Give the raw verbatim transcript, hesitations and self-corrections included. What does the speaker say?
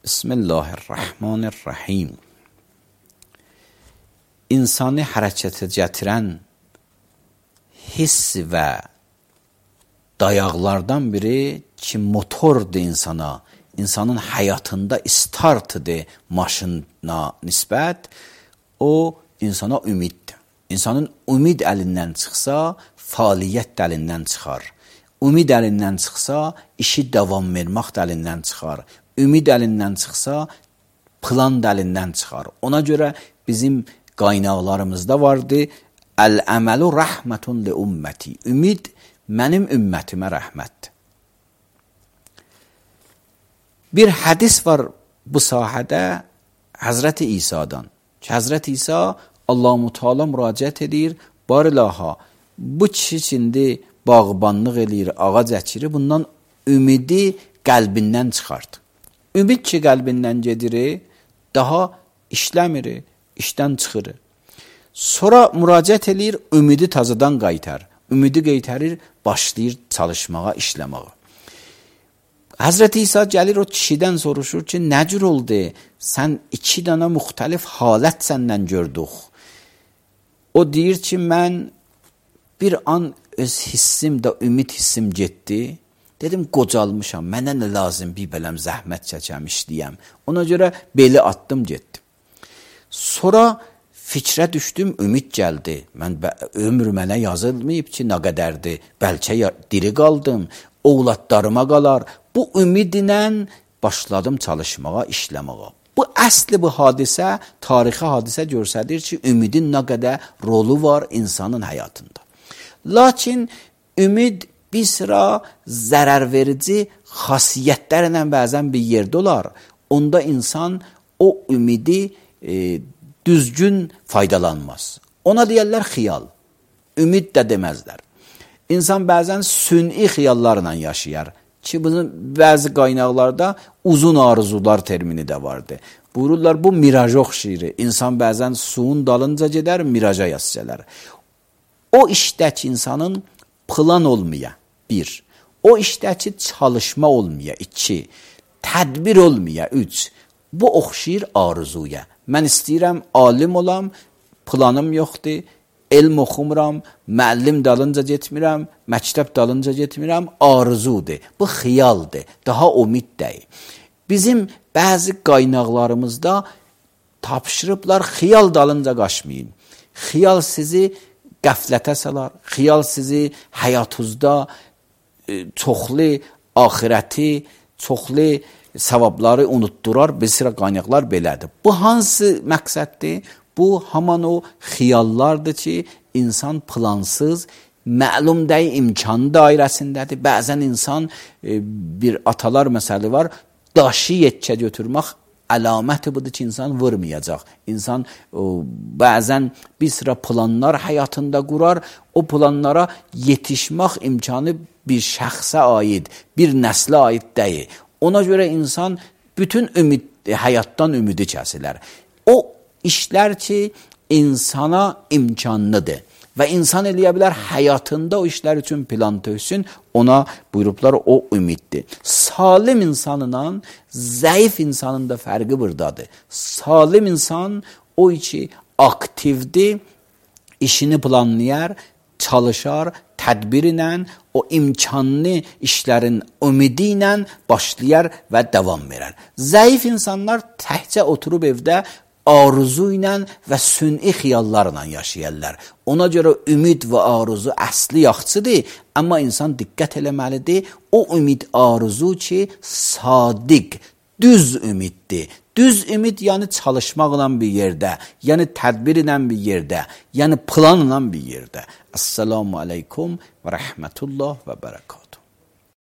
Bismillahirrahmanirrahim. İnsanı hərəkətə gətirən hiss və dayaqlardan biri ki, motordur insana, insanın həyatında startıdır maşına nisbət, o insana ümiddir. İnsanın ümid əlindən çıxsa, fəaliyyət də əlindən çıxar. Ümid əlindən çıxsa, işi davam vermək də əlindən çıxar. Ümid əlindən çıxsa, plan da əlindən çıxar. Ona görə bizim qaynaqlarımızda vardı, Əl-əməlu rəhmətun li ümməti. Ümid mənim ümmətimə rəhmətdir. Bir hədis var bu sahədə Həzrəti İsa'dan. Ki, Həzrəti İsa Allah-u Teala müraciət edir, barilaha, bu kişi içində bağbanlıq eləyir, ağac əkir, bundan ümidi qəlbindən çıxardı. Ümid ki, qəlbindən gedir, daha işləmir, işdən çıxır. Sonra müraciət eləyir, ümidi tazadan qaytar. Ümidi qaytarır, başlayır çalışmağa, işləməyə. Həzrəti İsa gəlir o kişidən soruşur ki, nə cür oldu? Sən iki dənə müxtəlif halət səndən gördük. O deyir ki, mən bir an öz hissim də ümid hissim getdi. Dedim, qocalmışam, mənə nə lazım bir bələm zəhmət çəkəm, işləyəm. Ona görə beli atdım, getdim. Sonra fikrə düşdüm, ümid gəldi. Mən ömür mənə yazılmayıb ki, nə qədərdir. Bəlkə diri qaldım, oğlatlarıma qalar. Bu ümidlə başladım çalışmağa, işləməyə. Bu əsli bu hadisə, tarixi hadisə göstərir ki, ümidin nə qədər rolu var insanın həyatında. Lakin ümid bir sıra zərər verici xasiyyətlərlə bəzən bir yerdə olar. Onda insan o ümidi e, düzgün faydalanmaz. Ona deyərlər xiyal. Ümid də deməzlər. İnsan bəzən sünni xiyallarla yaşayar. Ki, bunun bəzi qaynaqlarda uzun arzular termini də vardı. Buyururlar, bu miraja oxşayır. İnsan bəzən suyun dalınca gedər, miraja yazsələr. O işdəki insanın plan olmaya, bir. O işdəki çalışma olmaya, iki. Tədbir olmaya, üç. Bu oxşayır arzuya. Mən istəyirəm, alim olam, planım yoxdur, elm oxumuram, müəllim dalınca getmirəm, məktəb dalınca getmirəm, arzudur. Bu xiyaldır, daha ümid deyil. Bizim bəzi qaynaqlarımızda tapşırıblar, xiyal dalınca qaçmayın. Xiyal sizi qəflətə salar, xiyal sizi həyatınızda e, çoxlu axirəti, çoxlu savabları unutdurar, bir sıra qaynaqlar belədir. Bu hansı məqsəddir? Bu, haman o xiyallardır ki, insan plansız, məlum deyil, imkan dairəsindədir. Bəzən insan, e, bir atalar məsəli var, daşı yetkə götürmək əlaməti budur ki, insan vurmayacaq. İnsan o, bəzən bir sıra planlar həyatında qurar, o planlara yetişmək imkanı bir şəxsə aid, bir nəslə aid deyil. Ona görə insan bütün ümid, həyatdan ümidi kəsilər. O işlər ki, insana imkanlıdır və insan eləyə bilər həyatında o işlər üçün plan töksün, ona buyurublar o ümiddir. Salim insanla zəif insanın da fərqi buradadır. Salim insan o ki, aktivdir, işini planlayar, çalışar, tədbir ilə, o imkanlı işlərin ümidi ilə başlayar və davam verər. Zəif insanlar təhcə oturub evdə arzu ilə və sünni xiyallarla yaşayırlar. Ona görə ümid və arzu əsli yaxçıdır, amma insan diqqət eləməlidir. O ümid arzu ki, sadiq, düz ümiddir. Düz ümid yəni çalışmaqla bir yerdə, yəni tədbir ilə bir yerdə, yəni planla bir yerdə. Esselamu aleykum və rəhmətullah və bərəkət.